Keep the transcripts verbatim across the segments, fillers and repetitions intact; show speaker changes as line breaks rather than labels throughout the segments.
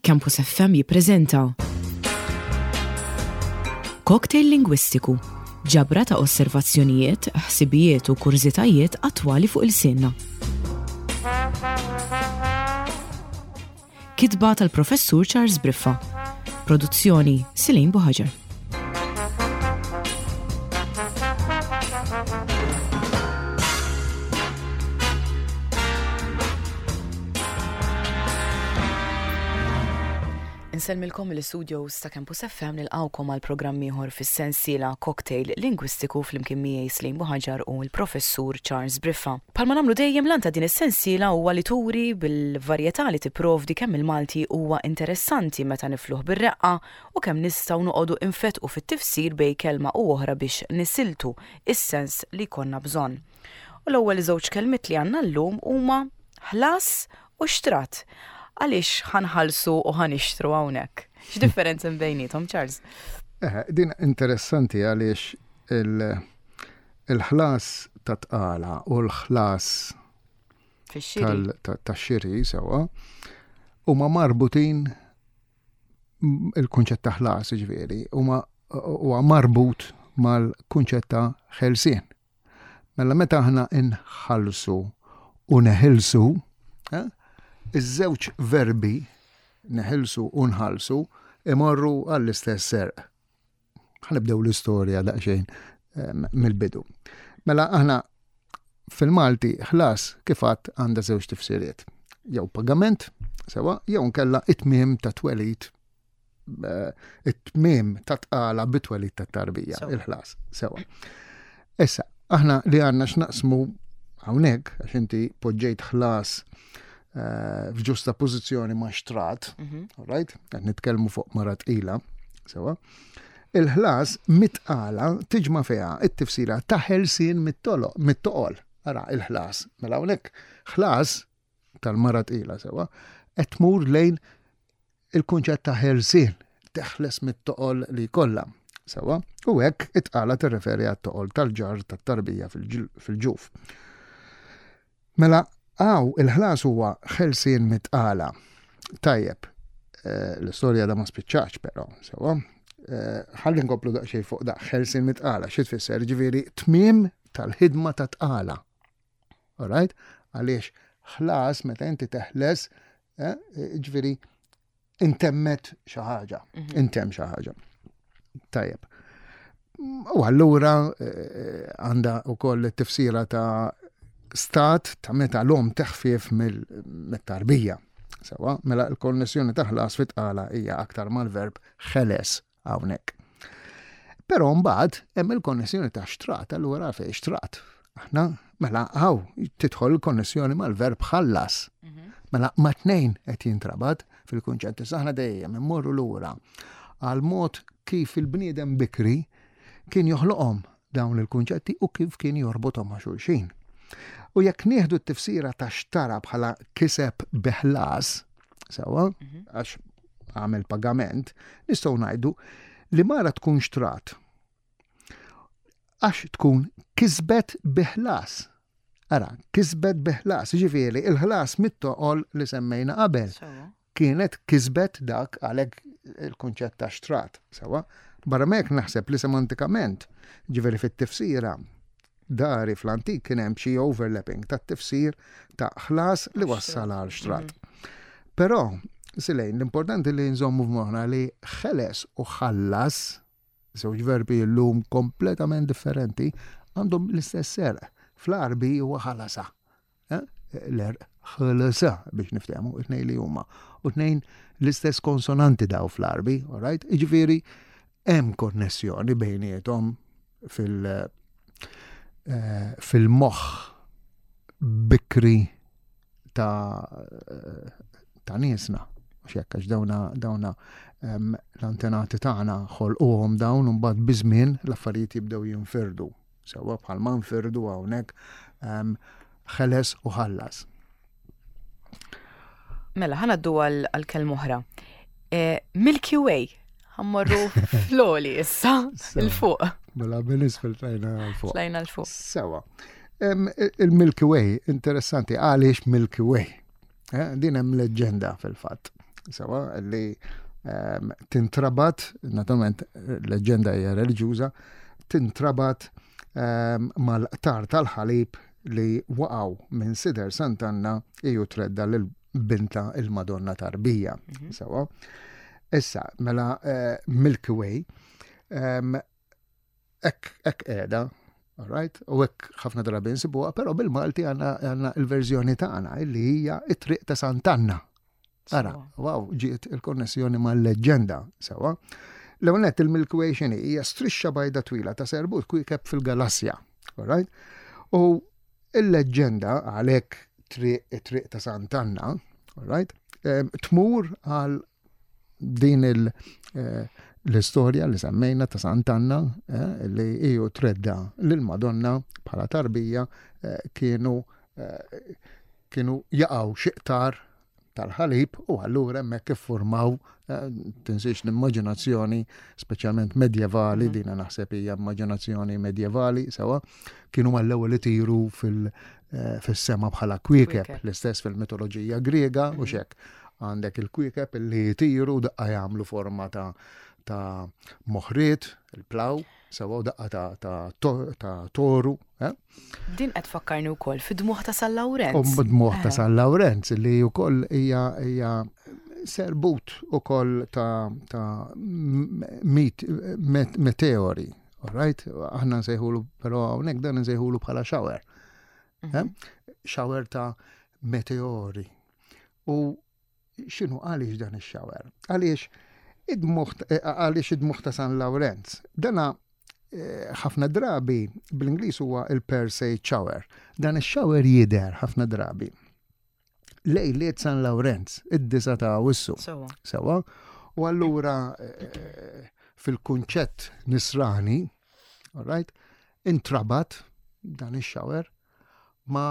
Campus F M jippreżenta Cocktail Lingwistiku, ġabra ta' osservazzjonijiet, ħsibijiet u kurżitajiet attwali fuq ilsienna. Kitba tal-Professur Charles Briffa. Produzzjoni Silin Buħaġar. Insellmilkom mill-istudios ta' Campus F M, nilqawkom għal programm ieħor fis-sensiela Cocktail Lingwistiku flimkien miegħi Slim Buħaġar u l-Professur Charles Briffa. Bħalma nagħmlu dejjem, l ta' din is-sensiela huwa li turi bil-varjetà li tipprovdi kemm il-Malti huwa interessanti meta nifluh bir-reqqa u kemm nistgħu noqogħdu infetqu fit-tifsir bejn kelma u oħra biex nisiltu is-sens li jkollna bżonn. U l-ewwel żewġ kelmiet li għandna llum huma ħlas u xtrat. Għaliex ħa nħallsu u ħa nixtru hawnhekk? X'differenza bejniethom, Charles?
Eh, din interessanti għaliex il-ħlas ta' tqala u l-ħlas ta' xiri sewa huma marbutin, il-kunċett ta' ħlas ġifieri huma huwa marbut mal-kunċett ta' ħelsien. Mela meta aħna inħallsu u neħilsu, eh, iż-żewġ verbi neħilsu u nħallsu imorru għall-istess għerq. Ħa nibdew l-istorja daqsxejn mill-bidu. Mela aħna fil-Malti ħlas kif għedt għandha żewġ tifsiriet. Jew pagament, sewa, jew nkella it-tmiem ta' twelid, eh, it-tmiem ta' tqala bit-twelid ta' tarbija, il-ħlas, sewa. Issa, aħna li għandna x'naqsmu hawnhekk, għax inti poġġejt ħlas eh, f'ġusta pożizzjoni ma' xtrat, mhm. right? Qed nitkellmu fuq mara tqila, sewa. Il-ħlas mit-tqala tiġma' fiha it-tifsira ta' ħelsien mit-toqol. Ara, il-ħlas. Mela hawnhekk ħlas tal-mara tqila, sewa, qed tmur lejn il-kunċett ta' ħelsien, teħles mit-toqol li kollha. Sewa, u hekk it-tqala tirreferi għat-toqol tal-ġar tat-tarbija fil-ġuf. Mela, hawn il-ħlas huwa ħelsien mit-tqala. Tajjeb, eh, l-istorja da ma spiċċax però, sewa. Eh, ħalli nkomplu daqsxejn fuq da ħelsien mit-tqala, xi tfisser? Ġifieri tmiem tal-ħidma ta' tqala. Alright? Għaliex ħlas meta inti teħles, eh, ġifieri intemmet xi ħaġa, mhm. intemm xi ħaġa. Tajjeb. U allura għandha wkoll tifsira ta' stat ta' meta l-om teħfief mill-tarbija. Sewa, mela l-konnessjoni ta' ħlas fit-tqala hija aktar mal-verb ħeles hawnhekk. Però mbagħad hemm il-konnessjoni ta' xtrat, allura fejn xtrat. Aħna mela hawn tidħol il-konnessjoni mal-verb ħallas. Mhm. Mela ma tnejn qed jintrabat fil-kunċett. Aħna dejjem immorru lura għal mod kif il-bniedem bikri kien joħloqhom dawn il-kunċetti u kif kien jorbothom ma' xulxin. U jekk nieħdu t-tifsira ta' xtara bħala kiseb bi ħlas, sewa, mhm. għax għamel pagament, nistgħu ngħidu li mara tkun xtrat għax tkun kisbet bi ħlas. Ara, kisbet bi ħlas, ġifieri, il-ħlas mit-toqol li semmejna qabel. Kienet kisbet dak, għalhekk il-kunċett ta' xtrat, sewa. Barra hekk naħseb li semantikament, ġifieri fit-tifsira, dari fl-antik kien hemm xi overlapping ta' tifsir ta' ħlas li wassal għal xtrat. Mhm. Però, Silejn, l-importanti li nżommu f'moħħna li ħeles u ħallas, żewġ verbi llum kompletament differenti, għandhom l-istess għerq. Fl-Arbi huwa ħalasa. Eh? L-għerq ħalasa biex niftehmu, it-tnejn li huma. U tnejn l-istess konsonanti daw fl-Arbi, all right? Iġifieri hemm konnessjoni bejniethom fil- Eh, fil-moħħ bikri ta' ta' niesna. Mhux hekk, għax dawna dawna l-antenati tagħna ħolquhom dawn u mbagħad biż-żmien l-affarijiet jibdew jinfirdu. Sewa, bħalma nfirdu hawnhekk ħeles u ħallas.
Mela, ħa ngħaddu għal kelma oħra. Eh, Milky Way, ħa mmorru fl-għoli issa, 'il fuq.
Mela, minn isfel tlajna 'l fuq.
Tlajna 'l fuq.
Sewa. Il-Milky Way, interessanti, għaliex Milky Way? Eh, din hemm leġġenda fil-fatt. sewa, li um, tintrabat, naturalment leġenda hija reliġjuża, tintrabat um, mal-qtar tal-ħalib li waqgħu minn sider Sant'Anna iju tredda lil binta il-Madonna tarbija. Mm -hmm. Sewa. Issa, mela uh, Milky Way, um, hekk hekk qiegħda, all right? U hekk ħafna drabi nsibuha, però bil-Malti għandna il-verżjoni tagħna illi hija it-triq ta' Sant'Anna. Ara, wow, ġiet il-konnessjoni mal-leġġenda, sewa. L-ewwel il-Milky Way x'inhi hija strixxa bajda twila ta' serbut kwiekeb fil-galassja, all right? U il-leġġenda għalhekk triq it-triq ta' Sant'Anna, all right? Tmur għal din il- eh, l-istorja li semmejna ta' Sant'Anna eh, li iju tredda lil-Madonna bħala tarbija eh, kienu kienu jaqgħu xi qtar tal-ħalib u allura hemmhekk iffurmaw, tinsiex l-immaġinazzjoni speċjalment medjevali, mhm. dina naħseb hija immaġinazzjoni medjevali, sewa, kienu mal-ewwel itiru fil-sema bħala kwiekeb, l-istess fil-mitoloġija Griega u mhm. xek għandek il-kwiekeb li jtiru daqqa jagħmlu forma ta' ta' moħriet, il-plow, sewa daqqa ta' ta' ta' toru. Eh?
Din qed tfakkarni wkoll fid-dmuħ ta' San Lawrenz.
U dmuħ ta' eh. San Lawrenz li wkoll hija hija serbut ukoll ta' ta' mit, met, meteori. All right? Aħna nsejħulu, però hawnhekk dan nsejħulu bħala shower. Eh? Mhm. Shower ta' meteori. U x'inhu għaliex dan ix-shower? Għaliex id-dmuħ għaliex id-dmuħ ta' San Lawrenz? Dana eh, ħafna drabi bl-Ingliż huwa il-Perseid shower. Dan ix-shower jidher ħafna drabi lejliet San Lawrenz, id-disa ta' Awwissu.
Sewa.
Sewa. U allura eh, fil-kunċett nisrani, all right, intrabat dan ix-shower ma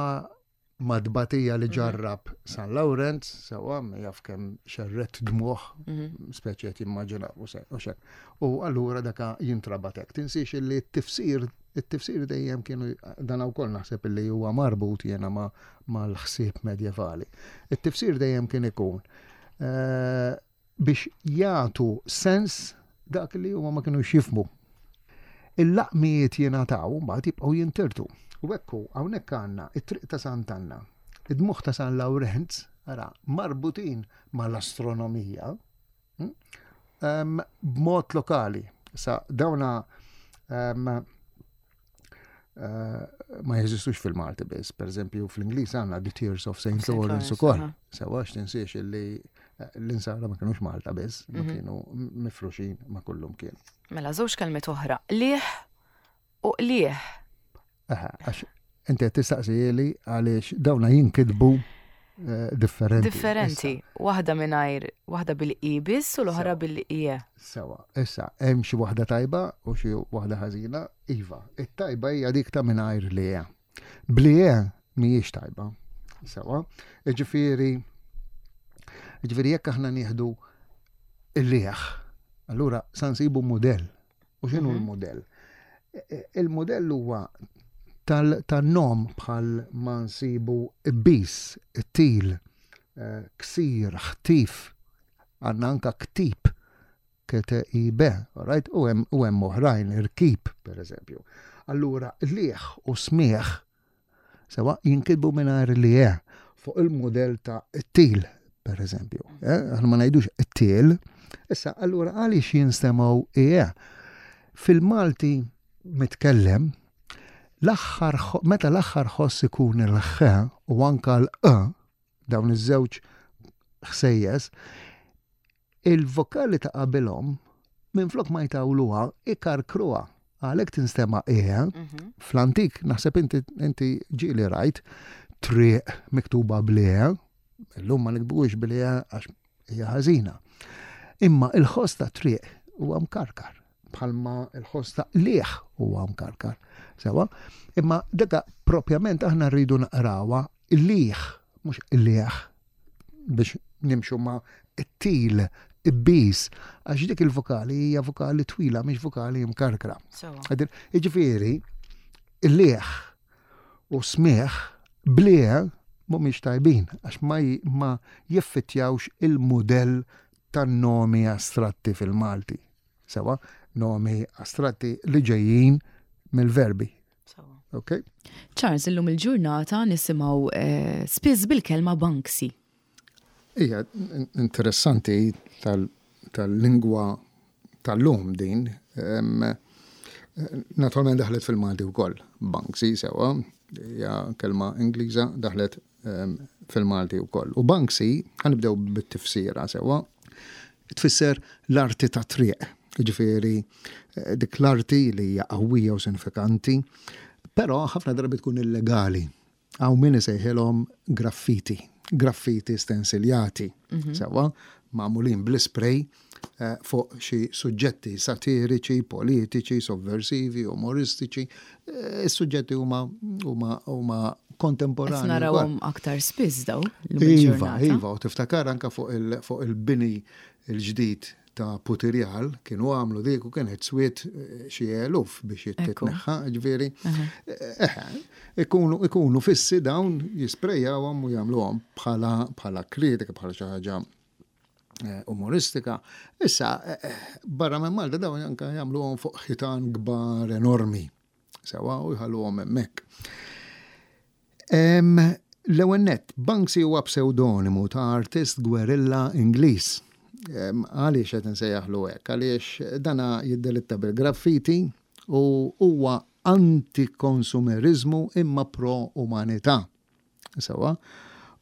ma dbatija li ġarrab San Lawrenz, sewa, ma jaf kemm xerred dmuħ,
Mhm.
speċi qed jimmaġina u se- u xek. U allura daka jintrabat hekk. Tinsiex illi t-tifsir, it-tifsir dejjem kienu dan wkoll naħseb illi huwa marbut jiena ma mal-ħsieb medjevali. It-tifsir dejjem kien ikun eh, biex jagħtu sens dak li huma ma kienu jifhmu. Il-laqmijiet jingħataw mbagħad jibqgħu jintirtu. U ekku hawnhekk għandna it-triq ta' Sant'Anna, id-dmuħ ta' San Lawrenz, ara, marbutin mal-astronomija, hm, em, b'mod lokali. Sa dawna em, eh, ma jeżistux fil-Malti biss. Per eżempju, fl-Ingliż għandna The Tears of Saint
Saint
Lawrence
Lawrence,
ukoll.
aha.
Sewa tinsiex illi eh, l-insara ma kienux Malta biss, ma
Mhm.
kienu mifruxin ma kullum kien.
Mela, żewġ kelmiet oħra. Liħ u qliħ.
Aha, għax inti qed tistaqsili għaliex dawna jinkitbu eh, differenti.
Differenti. Waħda mingħajr, waħda bil-i biss u l-oħra
Sewa.
bil-ie.
Issa, Sewa, issa hemm xi waħda tajba u xi waħda ħażina, iva. It-tajba hija dik ta' mingħajr li hija. Bli mhijiex tajba. Sewa, jiġifieri jiġifieri jekk aħna nieħdu il-lieħ, allura sa nsibu mudell. U x'inhu
Mhm.
l-mudell? E- e- Il-mudell huwa tal- tan-nom bħal ma nsibu bis, til, eh, ksir, ħtif, għandna anka ktib, K T I B, right? U hemm u hemm oħrajn, irkib, per eżempju. Allura, liħ u smieħ sewa jinkitbu mingħajr li e fuq il-modell ta' til, per eżempju. Eh? Aħna ma ngħidux til. Issa, allura għaliex jinstemgħu e? Fil-Malti mitkellem, l-aħħar ħo- meta l-aħħar ħoss ikun il-ħ u anka l-e, dawn iż-żewġ ħsejjes, il-vokali ta' qabilhom minflok ma jtawluha ikarkruha. Għalhekk tinstema' e.
Mhm.
Fl-antik naħseb inti inti ġieli rajt triq miktuba bl-e, illum ma nikbux bl-e għax hija ħażina. Imma il-ħoss ta' triq huwa mkarkar bħalma il-ħoss ta' liħ huwa mkarkar. Sewa, imma daka propjament aħna rridu naqrawha liħ, mhux liħ biex nimxu ma' it-til, ibis, għax dik il-vokali hija vokali twila, mhix vokali mkarkra.
Sewa.
Għadir, jiġifieri, il-liħ u smieħ bliħ mhumiex tajbin għax ma, ma jiffittjawx il-mudell tan-nomi astratti fil-Malti. Sewa, nomi astratti li ġejjin mill-verbi. Okay?
Charles, illum il-ġurnata nisimgħu eh, spiss bil-kelma Banksy.
Ija, interessanti tal-lingwa tal-lum din. Naturalment daħlet fil-Malti wkoll. Banksy sewa, hija kelma Ingliża, daħlet fil-Malti wkoll. U Banksy, ħa nibdew bit-tifsira sewa, tfisser l-arti ta' triq. Ġifieri, eh, dik l-arti li hija qawwija u sinifikanti, però ħafna drabi tkun illegali. Hawn min isejħilhom graffiti, graffiti stensiljati, mhm. sewa, magħmulin bl-spray eh, fuq xi suġġetti satiriċi, politiċi, sovversivi, umoristiċi. Eh, is-suġġetti huma huma huma kontemporani.
Narawhom aktar spiss daw.
Iva, iva, u tiftakar anka fuq il-bini il-ġdid ta' Putirjal kienu għamlu dik u kienet swiet eh, xi eluf biex jitneħħa, ġifieri. Eh, ikunu ikunu fissi dawn, jisprejjawhom u jagħmluhom bħala bħala kritika, bħala xi ħaġa eh, umoristika. Issa, barra minn Malta dawn anka jagħmluhom fuq ħitan kbar enormi. Sewa, u jħalluhom hemmhekk. L-ewwel nett, Banksy huwa pseudonimu ta' artist gwerilla Ingliż. Għaliex qed nsejjaħlu hekk? Għaliex dana jiddelitta bil-graffiti u huwa anti-konsumerizmu imma pro-umanità. Sewa.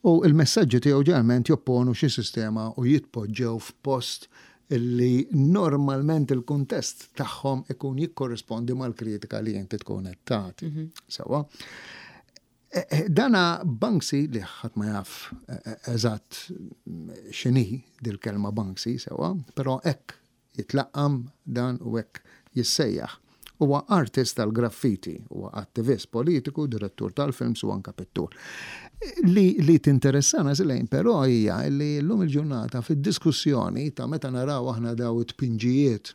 U il-messaġġi tiegħu ġeneralment jopponu xi sistema u jitpoġġew f'post illi normalment il-kuntest tagħhom ikun jikkorrispondi mal-kritika li inti tkun qed tagħti. Mhm. Sewa. Eh, eh, dana Banksy, li ħadd ma jaf eh, eżatt x'inhi dil-kelma Banksy sewa, però hekk jitlaqqam dan u hekk jissejjaħ. Huwa artist tal-graffiti, huwa attivist politiku, direttur tal-films u anka pittur. Li, li tinteressana zilejn però hija li llum il-ġurnata fid-diskussjoni ta' meta naraw aħna daw it-tpinġijiet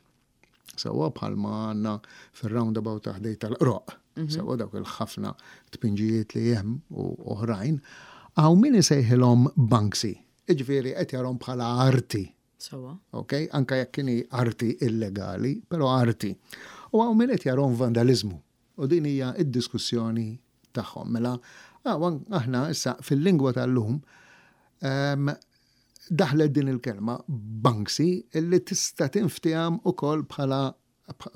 sewa bħalma għandna fil-roundabout ta' ħdejn tal-Qroqq, mhm. sewa dawk il-ħafna tpinġijiet li hemm u oħrajn, hawn min isejħilhom Banksy. Iġifieri qed jarahom bħala arti.
Sewa.
Ok, anka jekk kien arti illegali, però arti. U hawn min qed jarahom vandalizmu. U din hija id-diskussjoni tagħhom. Mela, aħna issa fil-lingwa tal-lum daħlet din il-kelma Banksy illi tista' tinftiham ukoll bħala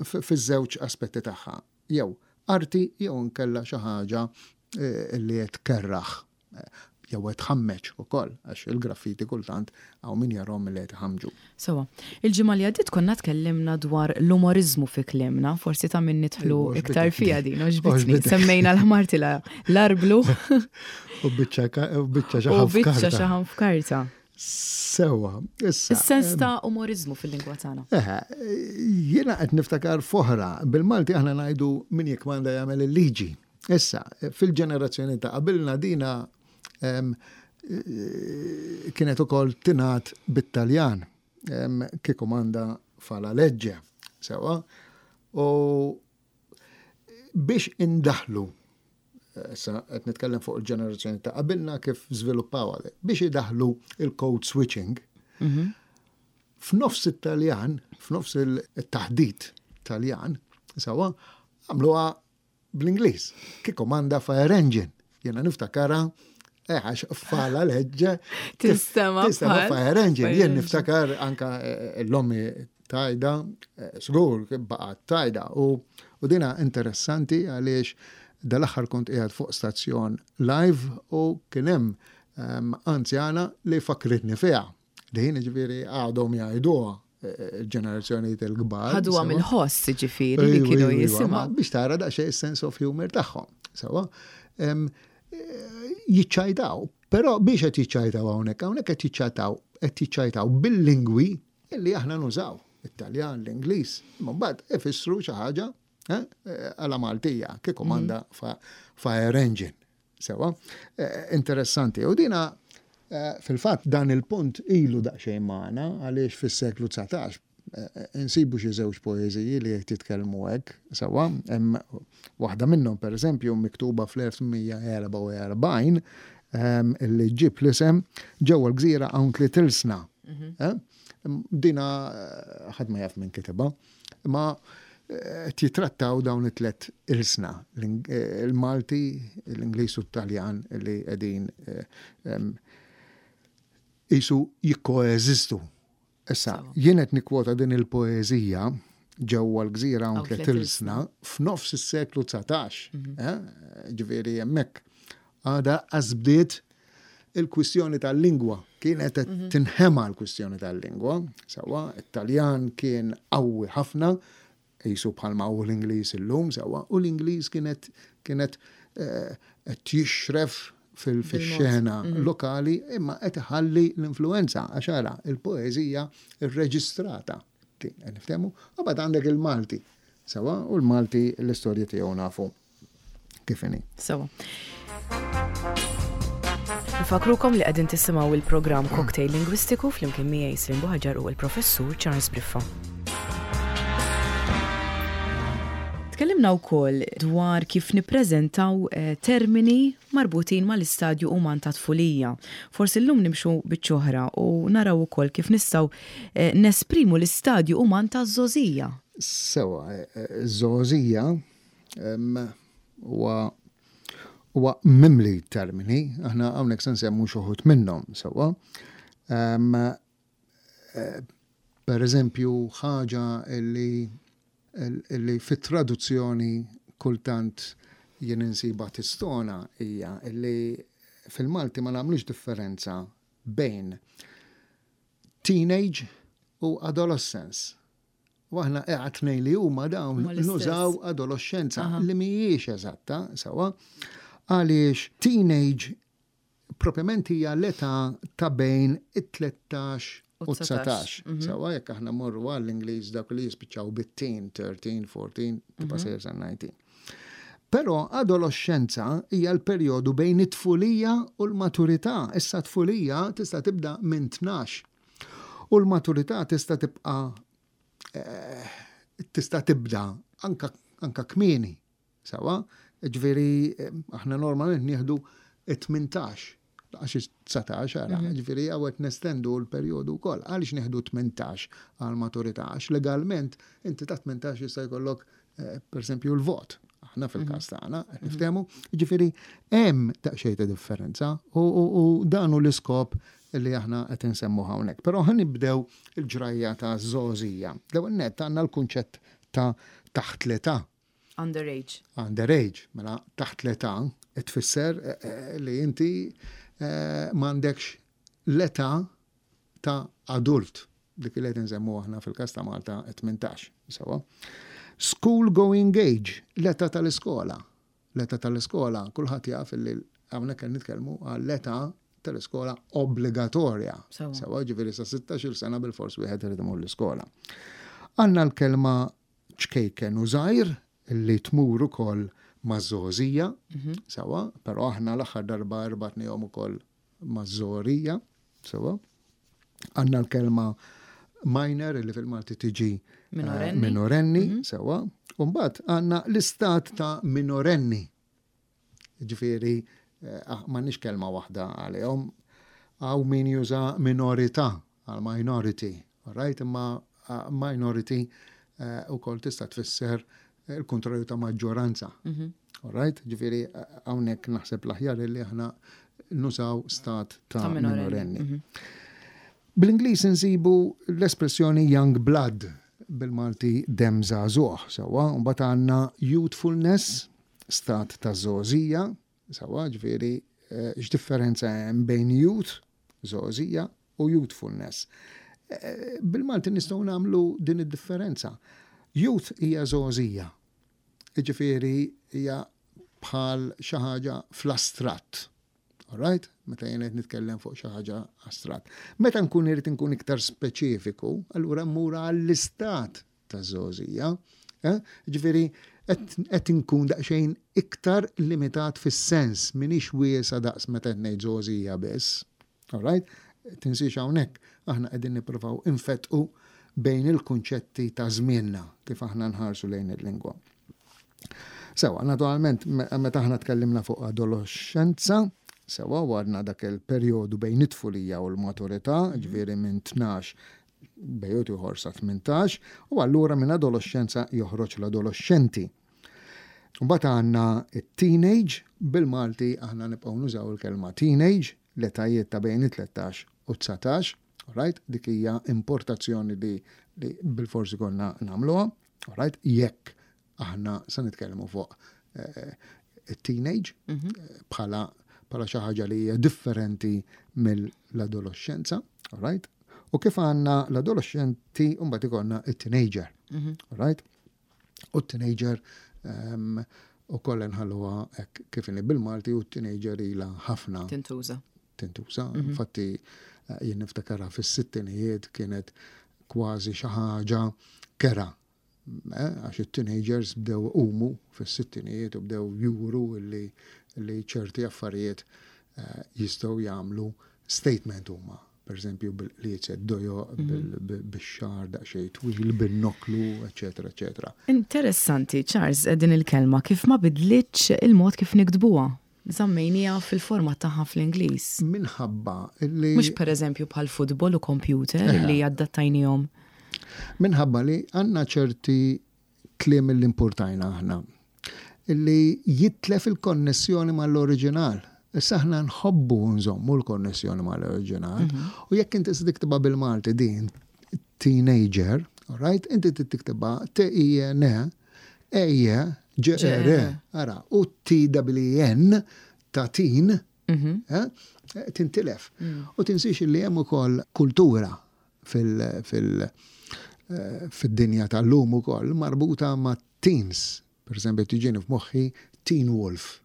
fiż-żewġ aspetti tagħha. Jew arti jew nkella xi ħaġa eh, li qed kerraħ eh, jew qed tħammeġ ukoll, għax il-graffiti kultant hawn min jarahom li qed iħammġu.
Sewa, il-ġimgħa li għaddiet konna tkellimna dwar l-umorizmu fi kliemna, forsi ta' min nidħlu iktar fija din, għoġbitni. Semmejna l-ħmar l-arblu.
U biċċa biċċa
xaħam f'karta.
Sewa,
issa. Is-sens ta' umorizmu fil-lingwa tagħna.
Eħe, jiena qed niftakar foħra, bil-Malti aħna ngħidu min jikmanda jagħmel il-liġi. Issa, fil-ġenerazzjoni ta' qabilna dina kienet ukoll tingħad bit-Taljan, chi comanda fa la legge. Sewa, u biex indaħlu, issa qed nitkellem fuq il-ġenerazzjoni ta' qabilna kif żviluppaw għale, biex idaħlu il-code switching, mhm. f'nofs it-Taljan, f'nofs il-taħdit Taljan, sewa, għamluha bl-Ingliż. Chi comanda fire engine. Jena niftakara, eh, għax fa la legge.
Tistema.
Tistema fire engine. Jien niftakar anka eh, l-ommi tajda, eh, żgur, baqgħet tajda. U, u dina interessanti għaliex dal-aħħar kont qiegħed fuq stazzjon live u kien hemm um, anzjana li fakritni fiha. Din ġifieri għadhom jgħiduha il-ġenerazzjoni il-kbar.
Ħaduha mill-ħoss ġifieri li kienu jisimgħu.
Biex tara daqsxejn sense of humor tagħhom. Sewa, jiċċajtaw, però biex qed jiċċajtaw hawnhekk, hawnhekk qed jiċċajtaw, qed jiċċajtaw bil-lingwi illi aħna nużaw, it-Taljan, l-Ingliż, imma mbagħad ifissru xi ħaġa eh, għala Maltija, chi comanda mhm. fire engine. Sewa, eh, interessanti. U dina eh, fil-fatt dan il-punt ilu daqsxejn magħna għaliex fis-seklu dsatax insibu xi żewġ poeżiji li qed jitkellmu hekk, sewa, hemm waħda minnhom, pereżempju, miktuba fl-elf tmien mija erbgħa u erbgħin. ehm, li ġib l-isem "Ġewwa l-Gżira hawn tliet ilsna". Mhm. Eh? Dina eh, ħadd ma jaf minn kitibha, ma eh, titrattaw dawn it-tlet ilsna, il-Malti, l-Ingliż u t-Taljan, li qegħdin jisu jikkoeżistu. Issa, jien qed nikkwota din il-poeżija "Ġewwa l-Gżira hawn tliet ilsna" f'nofs is-seklu dsatax. Mhm. Eh? Ġifieri hemmhekk għadha bdiet il-kwistjoni tal-lingwa. Kienet mhm. tinħema l-kwistjoni tal-lingwa. Sewwa, it-Taljan kien qawwi ħafna, jisu bħalma u l-Ingliż illum, sewwa, u l-Ingliż kienet kienet eh, qed jixref fil-xena mhm. lokali, imma qed iħalli l-influenza għax ara il-poeżija irreġistrata. Niftehmu? U mbagħad għandek il-Malti. Sewwa, u l-Malti l-istorja tiegħu nafu kif inhi.
Sewwa. Nfakrukom li qegħdin tisimgħu il-programm Cocktail Lingwistiku flimkien miegħi Slim Buħaġar u l-Professur Charles Briffa. Tkellimna wkoll dwar kif nippreżentaw eh, termini marbutin mal-istadju uman ta' tfulija. Forsi llum nimxu biċċ'oħra u naraw ukoll kif nistgħu eh, nesprimu l-istadju uman ta' żgħożija.
Sewwa, eh, żgħożija huwa huwa mimli termini, aħna hawnhekk se nsemmu xi wħud minnhom, sewwa. Per eżempju, ħaġa li li fit-traduzzjoni kultant jien insiba tistona hija li fil-Malti ma nagħmlux differenza bejn teenage u adolescence. U aħna tnejn li huma dawn nużaw adolescenza, li mhijiex eżatta, sewwa, għaliex teenage propjament hija l-età ta' bejn it-tlettax u dsatax. Mhm. Sewwa, jekk aħna morru għall-Ingliż, dak li jispiċċaw bit-teen, tlettax, erbatax, tibqa' mhm. sejjer sa dsatax. Però adolescenza hija l-perjodu bejn it-tfulija u l-maturità. Issa tfulija tista' tibda minn tnax. U l-maturità tista' tibqa' eh, tista' tibda anka, anka kmieni. Sewwa, ġifieri eh, aħna normalment nieħdu tmintax, għax dsatax, ara, mhm. ġifieri hawn nestendu l-perjodu wkoll. Għaliex nieħdu tmintax għal maturità? Għax legalment inti ta' tmintax jista' jkollok eh, per esempio l-vot. Aħna fil-każ mhm. tagħna, mhm. niftehmu, ġifieri hemm daqsxejn ta' differenza u dan hu l-iskop li aħna qed insemmu hawnhekk. Però ħa nibdew il-ġrajja ta' żgħożija. L-ewwel nett għandna l-kunċett ta' taħt l-età.
Underage.
Underage, mela taħt l-età tfisser eh, eh, li inti eh, m'għandekx l-età ta' adult, dik li qed nsemmu aħna fil-każ ta' Malta tmintax. Sewwa. School going age, l-età tal-iskola. L-età tal-iskola, kulħadd jaf li hawnhekk qed nitkellmu għall-età tal-iskola obbligatorja. Sewwa, ġifieri sa sittax-il sena bil-fors wieħed irid imur l-iskola. Għandna l-kelma ċkejken u żgħir li tmur ukoll maż-żgħożija, mhm. sewwa, però aħna l-aħħar darba rbatnihom ukoll maż-żgħorija, sewwa. Għandna l-kelma minor li fil-Malti tiġi
minorenni,
eh, minorenni mm -hmm. sewwa. Umbagħad għandna l-istat ta' minorenni. Ġifieri, eh, ah, m'għandniex kelma waħda għalihom. Hawn min juża minorità għal minority, right? Imma ah, minority eh, ukoll tista' tfisser il-kontrarju ta' maġġoranza. Mm -hmm. All right? Ġifieri, hawnhekk naħseb l-aħjar li aħna nużaw stat ta', ta minorenni. Mm -hmm. Bl-Ingliż insibu l-espressjoni young blood, bil-Malti dem żagħżugħ, sewwa, mbagħad għandna youthfulness, stat ta' żgħożija, sewwa, ġifieri eh, x'differenza hemm bejn youth, żgħożija, u youthfulness? Eh, bil-Malti nistgħu nagħmlu din id-differenza. Youth hija żgħożija. Ġifieri hija bħal xi ħaġa fl-astratt. Alright? Meta jien qed nitkellem fuq xi ħaġa astratt. Meta nkun irid nkun iktar speċifiku, allura mmur għall-istat ta' żgħożija. Eh? Ġifieri qed nkun daqsxejn iktar limitat fis-sens, minix wiesa daqs meta qed ngħid żgħożija biss. Alright? Tinsiex hawnhekk aħna qegħdin nippruvaw infetqu bejn il-kunċetti ta' żmienna kif aħna nħarsu lejn il-lingwa. Sewwa, naturalment, meta aħna tkellimna fuq adolescenza, Sewwa, u għandna dak il-perjodu bejn it-tfulija u l-maturità, ġifieri minn tnax bejn ieħor sa tmintax, u allura minn adolescenza joħroġ l-adolescenti. Mbagħad għandna it-teenage, bil-Malti aħna nibqgħu nużaw il-kelma teenage, l-etajiet ta' bejn it-tlettax u dsatax, right? Dik hija importazzjoni li, li bil-forsi konna nagħmluha, right? Jekk aħna se nitkellmu fuq eh, it-teenage mhm. bħala bħala xi ħaġa li hija differenti mill-adolescenza, right? U kif għandna l-adolescenti, mbagħad ikollna it-teenager, mhm. right? U t-teenager um, u koll nħalluha hekk kif inhi bil-Malti, u t-teenager ilha ħafna
tintuża.
Tintuża. Mhm. Infatti eh, jien niftakarha fis-sittinijiet kienet kważi xi ħaġa kerha. Eh, għax it-teenagers bdew umu fis-sittinijiet u bdew juru li, li ċerti affarijiet eh, jistgħu jagħmlu statement huma. Per eżempju, bil-qliezet dojo, bix-xagħar daqsxejn twil, bil-noklu, eċetera, eċetera.
Interessanti, Charles, din il-kelma kif ma bidlitx il-mod kif niktbuha. Żammejnieha fil-forma tagħha fl-Ingliż.
Minħabba li
Mhux per eżempju bħal futbol u computer li adattajnihom.
Minħabba li għandna ċerti kliem li importajna aħna illi jitlef il-konnessjoni mal-oriġinal. Issa aħna nħobbu nżommu l-konnessjoni mal-oriġinal. U jekk inti se tiktibha bil-Malti din teenager, alright, inti tiktibha T I N E G R. Ara, u T W N ta' teen eh, tintilef. U tinsiex li hemm ukoll kultura fil- fil- eh, fid-dinja tal-lum ukoll marbuta ma' teens. Per esempio, tiġini f'moħħi Teen Wolf.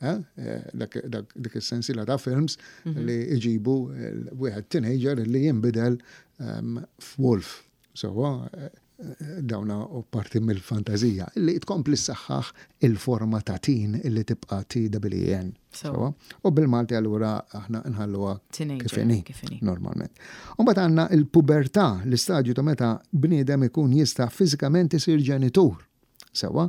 Eh? Eh, dak dak- dik is-sensiela ta' films li iġibu wieħed teenager li jinbidel um, f'wolf. So, eh, dawna u parti mill-fantazija li tkompli ssaħħaħ il-forma ta' teen illi tibqa' T W N.
So.
U bil-Malti allura aħna nħalluha
Teenager,
kif inhi,
kif inhi.
normalment. U mbagħad għandna il-pubertà, l-istadju ta' meta bniedem ikun jista' fiżikament isir ġenitur. Sewwa,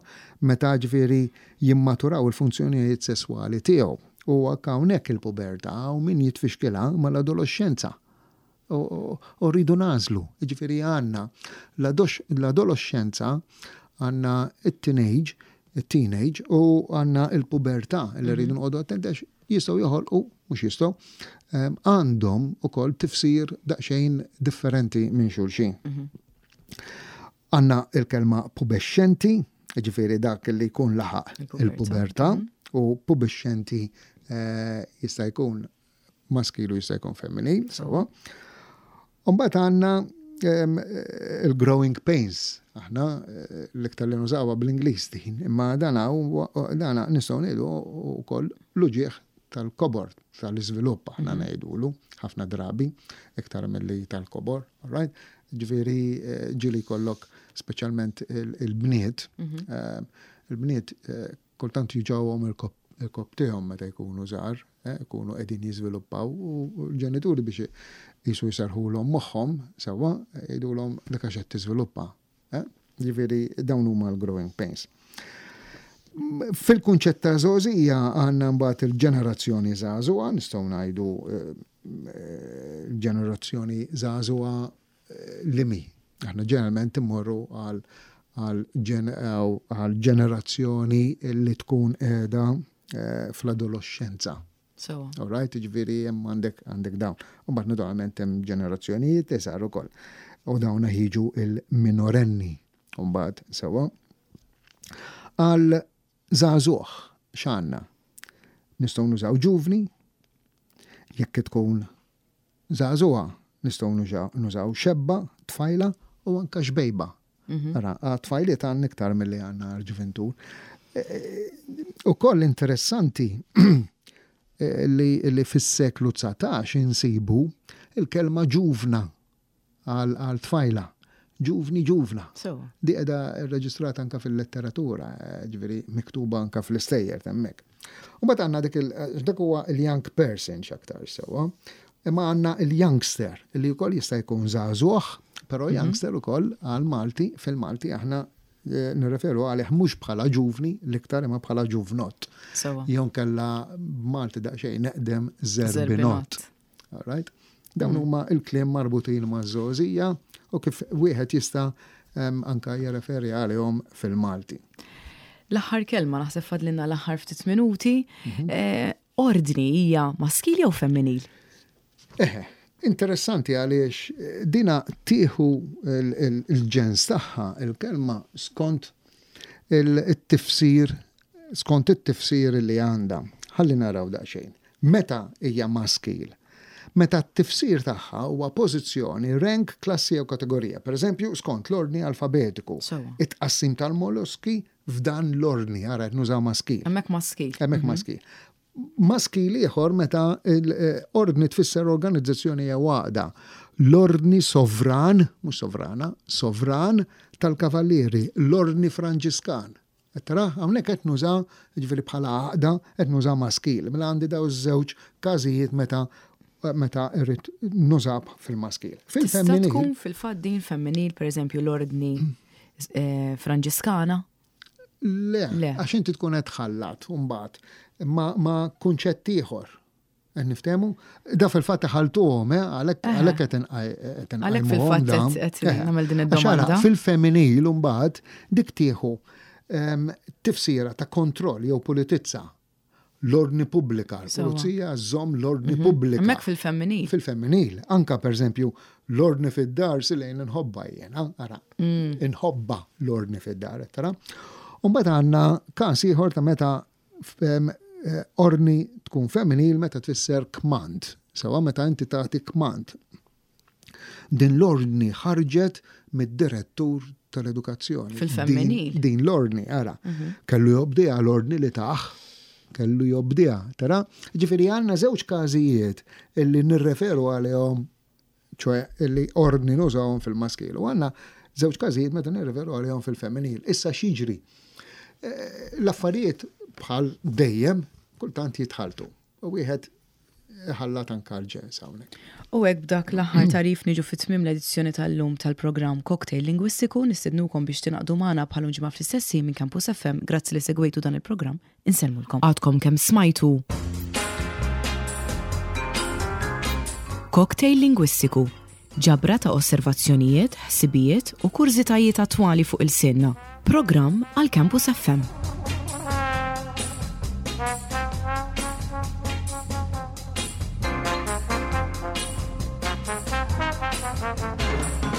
meta ġifieri jimmaturaw il-funzjonijiet sesswali tiegħu. U hawnhekk il-pubertà u min jitfixkilha mal-adolescenza. U u rridu nagħżlu. Ġifieri għandna l-adolescenza, għandna it-teenage, it-teenage u għandna il-pubertà li rridu noqogħdu attenti għax jistgħu joħolqu, mhux jistgħu, em, għandhom ukoll tifsir daqsxejn differenti minn xulxin. Għandna il-kelma pubescenti, ġifieri dak li jkun laħaq
il-pubertà.
Il-pubertà, u pubescenti eh, jista' jkun maskilu, jista' jkun femminil, sewwa. Umbagħad għandna em, il-growing pains. Aħna eh, l-iktar li nużawha bl-Ingliż din, imma dana huwa- dana nistgħu ngħidu wkoll l-uġieħ tal-kobor, tal-iżvilupp aħna ngħidulu ħafna drabi iktar milli tal-kobor, all right? Ġifieri eh, ġieli jkollok speċjalment il- il-bniet, eh, il-bniet eh, kultant juġgħuhom il-kopp tagħhom meta jkunu żgħar, eh, jkunu qegħdin jiżviluppaw u l-ġenituri biex jisu jserrħulhom moħħhom sewwa jgħidulhom dak għax qed tiżviluppa. eh? Ġifieri dawn huma l-growing pains. Fil-kunċett ta' żgħożija għandna mbagħad il-ġenerazzjoni żagħżugħa, nistgħu ngħidu eh, eh, ġenerazzjoni żagħżugħa eh, li mi. Aħna ġeneralment immorru għal għal ġen- għal ġenerazzjoni li tkun qiegħda eh, fl-adolescenza.
So,
All right, ġifieri hemm għandek għandek dawn. U mbagħad naturalment hemm ġenerazzjonijiet li saru ukoll. U dawn jiġu il-minorenni. U mbagħad sewwa. Għal żagħżugħ x'għandna? Nistgħu nużaw ġuvni, jekk tkun żagħżugħa nistgħu nużaw- nużaw xebba, tfajla u anka xbejba. Ara, għat-tfajliet għandna iktar milli għandna l-ġuventur. U koll interessanti eh, li, li fis-seklu dsatax insibu il-kelma ġuvna għal għal tfajla. Ġuvni, ġuvna.
So,
Di qiegħda reġistrata anka fil-letteratura, eh, ġifieri miktuba anka fl-istejjer hemmhekk. U mbagħad għandna dik il dak huwa il-young person x'aktar sewwa. Imma għandna il-youngster li wkoll jista' jkun żagħżugħ, però youngster ukoll għal Malti, fil-Malti aħna Nirreferu għalih mhux bħala ġuvni l-iktar imma bħala ġuvnott. Jew inkella Malti daqsxejn neqdem zerbinott. All right? Dawn huma il-kliem marbutin ma' żgħożija u kif wieħed jista' anka jirreferi għalihom fil-Malti.
L-aħħar kelma, naħseb fadlinna l-aħħar ftit minuti. Ordni hija maskil jew femminil?
Eħe, interessanti għaliex dina tieħu il-ġens tagħha il-kelma skont il-tifsir, skont it-tifsir li għandha. Ħalli naraw daqsxejn. Meta hija maskil? Meta t-tifsir tagħha huwa pożizzjoni, rank, klassi jew kategorija. Per eżempju, skont l-ordni alfabetiku. It-tqassim tal-molluski f'dan l-ordni, ara qed nużaw maskil.
Hemmhekk maskil.
Hemmhekk maskil. Maskil ieħor meta l-ordni tfisser organizzazzjoni jew għaqda. L-ordni sovran, mhux sovrana, sovran tal-kavallieri, l-ordni Franġiskan. Tara, hawnhekk qed nużaw, jiġifieri bħala għaqda, qed nużaw maskil. Mela għandi daw iż-żewġ każijiet meta meta irrid nużab fil-maskil.
Fil-femminil. Tista' tkun fil-fatt din femminil, per eżempju, l-ordni Franġiskana?
Le, għax inti tkun qed tħallat mbagħad ma, ma kunċett ieħor. Qed niftehmu? Da fil-fatt ħaltuhom, għalhekk għalhekk qed inqajmuhom.
Għalhekk fil-fatt qed nagħmel din id-domanda.
Fil-femminil mbagħad dik tieħu tifsira ta' kontroll jew pulitizza. L-ordni pubblika, l-pulizija żomm l-ordni pubblika.
Hemmhekk fil-femminil.
Fil-femminil. Anka per eżempju l-ordni fid-dar silejn inħobba jiena, ara. Inħobba l-ordni fid-dar, tara. U mbagħad għandna każ ieħor ta' meta ordni tkun femminil meta tfisser kmand. Sewa meta inti tagħti kmand. Din l-ordni ħarġet mid-direttur tal-edukazzjoni.
Fil-femminil.
Din l-ordni, ara. Kellu jobdiha l-ordni li taħ. Kellu jobdiha, tara? Ġifieri għandna żewġ każijiet illi nirreferu għalihom, ċoe illi ordni nużawhom fil-maskil. U għandna żewġ każijiet meta nirreferu għalihom fil-femminil. Issa x'jiġri? L-affarijiet bħal dejjem kultant jitħaltu. U wieħed ħallat anka l-ġens hawnhekk.
U hekk b'dak l-aħħar tarif niġu fit-tmiem l-edizzjoni tal-lum tal-programm Cocktail Lingwistiku. Nistednukom biex tingħaqdu magħna bħal ġimgħa fl-istess ħin minn Campus F M. Grazzi li segwejtu dan il-programm. Insellmulkom. Għadkom kemm smajtu Cocktail Lingwistiku, ġabra ta' osservazzjonijiet, ħsibijiet u kurżitajiet attwali fuq il-sinna. Programm għal Campus F M.
Thank you.